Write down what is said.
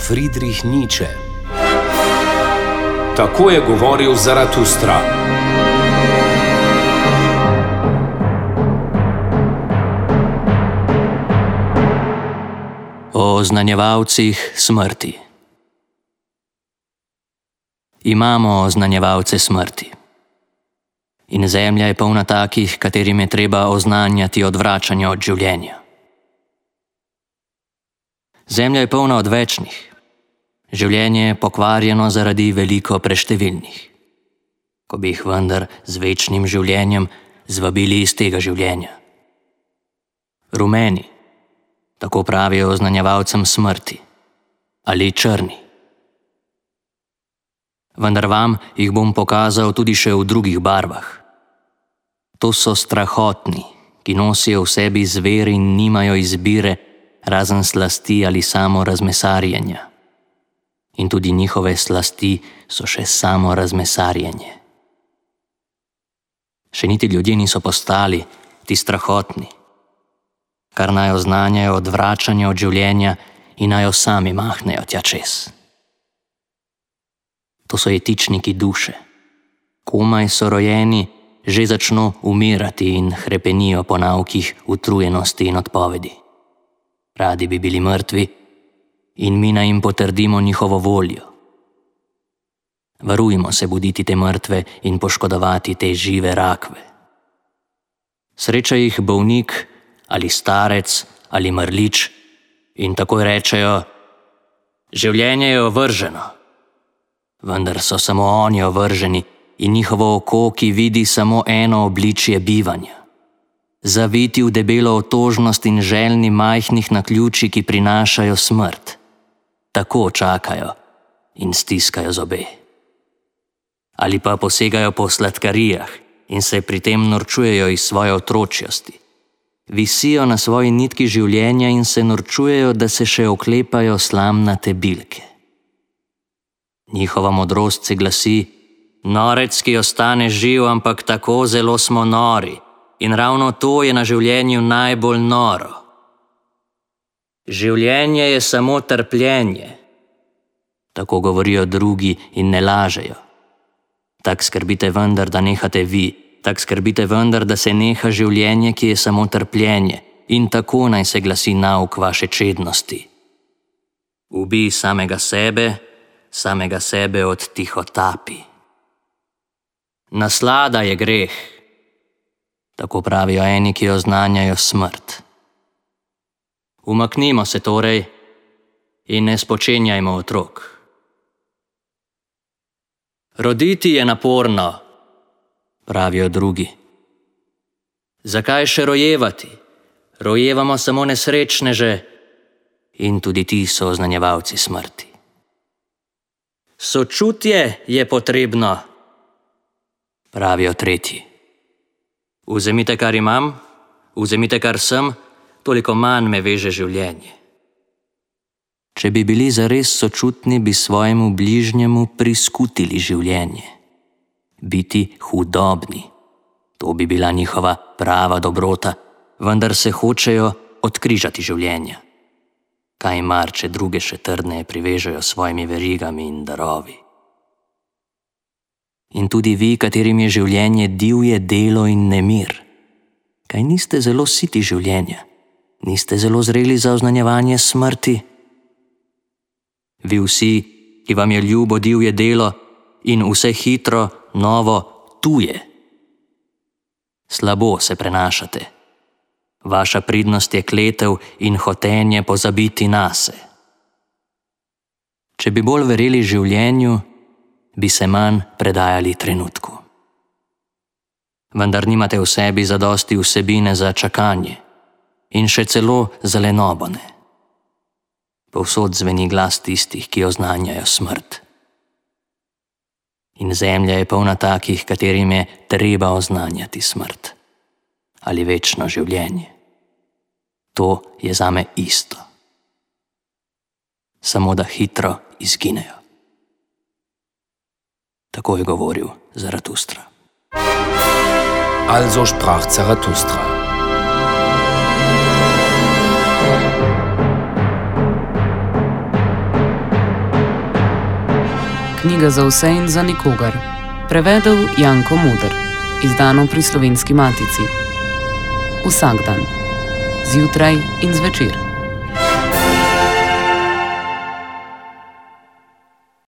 Friedrich Nietzsche. Tako je govoril Zaratustra. O oznanjevalcih smrti. Imamo oznanjevalce smrti. In zemlja je polna takih, katerim je treba oznanjati odvračanje od življenja. Zemlja je polna odvečnih. Življenje je pokvarjeno zaradi veliko preštevilnih. Ko bi jih vendar z večnim življenjem zvabili iz tega življenja. Rumeni, tako pravijo oznanjevalcem smrti, ali črni. Vendar vam jih bom pokazal tudi še v drugih barvah. To so strahotni, ki nosijo v sebi zver in nimajo izbire, razen slasti ali samo razmesarjenja. In tudi njihove slasti so še samo razmesarjenje. Še niti ljudje niso postali ti strahotni, kar naj oznanjajo odvračanje od življenja in naj jo sami mahnejo tja čez. To so jetičniki duše. Komaj so rojeni, že začno umirati in hrepenijo po naukih utrujenosti in odpovedi. Radi bi bili mrtvi in mi naj jim potrdimo njihovo voljo. Varujmo se buditi te mrtve in poškodovati te žive rakve. Sreča jih bolnik ali starec ali mrlič in takoj rečejo: življenje je ovrženo. Vendar so samo oni ovrženi in njihovo oko, ki vidi samo eno obličje bivanja. Zaviti v debelo otožnost in željni majhnih naključij, ki prinašajo smrt. Tako čakajo in stiskajo zobe. Ali pa posegajo po sladkarijah in se pri tem norčujejo iz svoje otročjosti. Visijo na svoji nitki življenja in se norčujejo, da se še oklepajo slamnate bilke. Njihova modrost se glasi: norec, ki ostane živ, ampak tako zelo smo nori. In ravno to je na življenju najbolj noro. Življenje je samo trpljenje. Tako govorijo drugi in ne lažejo. Tak skrbite vendar, da nehate vi. Tak skrbite vendar, da se neha življenje, ki je samo trpljenje. In tako naj se glasi nauk vaše čednosti. Ubij samega sebe odtihotapi. Naslada je greh. Tako pravijo eni, ki oznanjajo smrt. Umaknimo se torej in ne spočenjajmo otrok. Roditi je naporno, pravijo drugi. Zakaj še rojevati? Rojevamo samo nesrečneže in tudi ti so oznanjevalci smrti. Sočutje je potrebno, pravijo tretji. Vzemite, kar imam, vzemite, kar sem, toliko manj me veže življenje. Če bi bili zares sočutni, bi svojemu bližnjemu priskutili življenje. Biti hudobni, to bi bila njihova prava dobrota, vendar se hočejo odkrižati življenja. Kaj mar, če druge še trdneje privežejo svojimi verigami in darovi. In tudi vi, katerim je življenje divje delo in nemir. Kaj niste zelo siti življenja? Niste zelo zreli za oznanjevanje smrti? Vi vsi, ki vam je ljubo divje delo in vse hitro, novo, tuje. Slabo se prenašate. Vaša pridnost je kletev in hotenje pozabiti nase. Če bi bolj verjeli življenju, bi se manj predajali trenutku. Vendar nimate v sebi zadosti vsebine za čakanje in še celo za lenobone. Povsod zveni glas tistih, ki oznanjajo smrt. In zemlja je polna takih, katerim je treba oznanjati smrt ali večno življenje. To je zame isto. Samo da hitro izginejo. Tako je govoril Zaratustra. Also sprach Zarathustra. knjiga za vse in za nikogar. Prevedel Janko Moder. Izdano pri Slovenski matici. Vsak dan. Zjutraj in zvečer.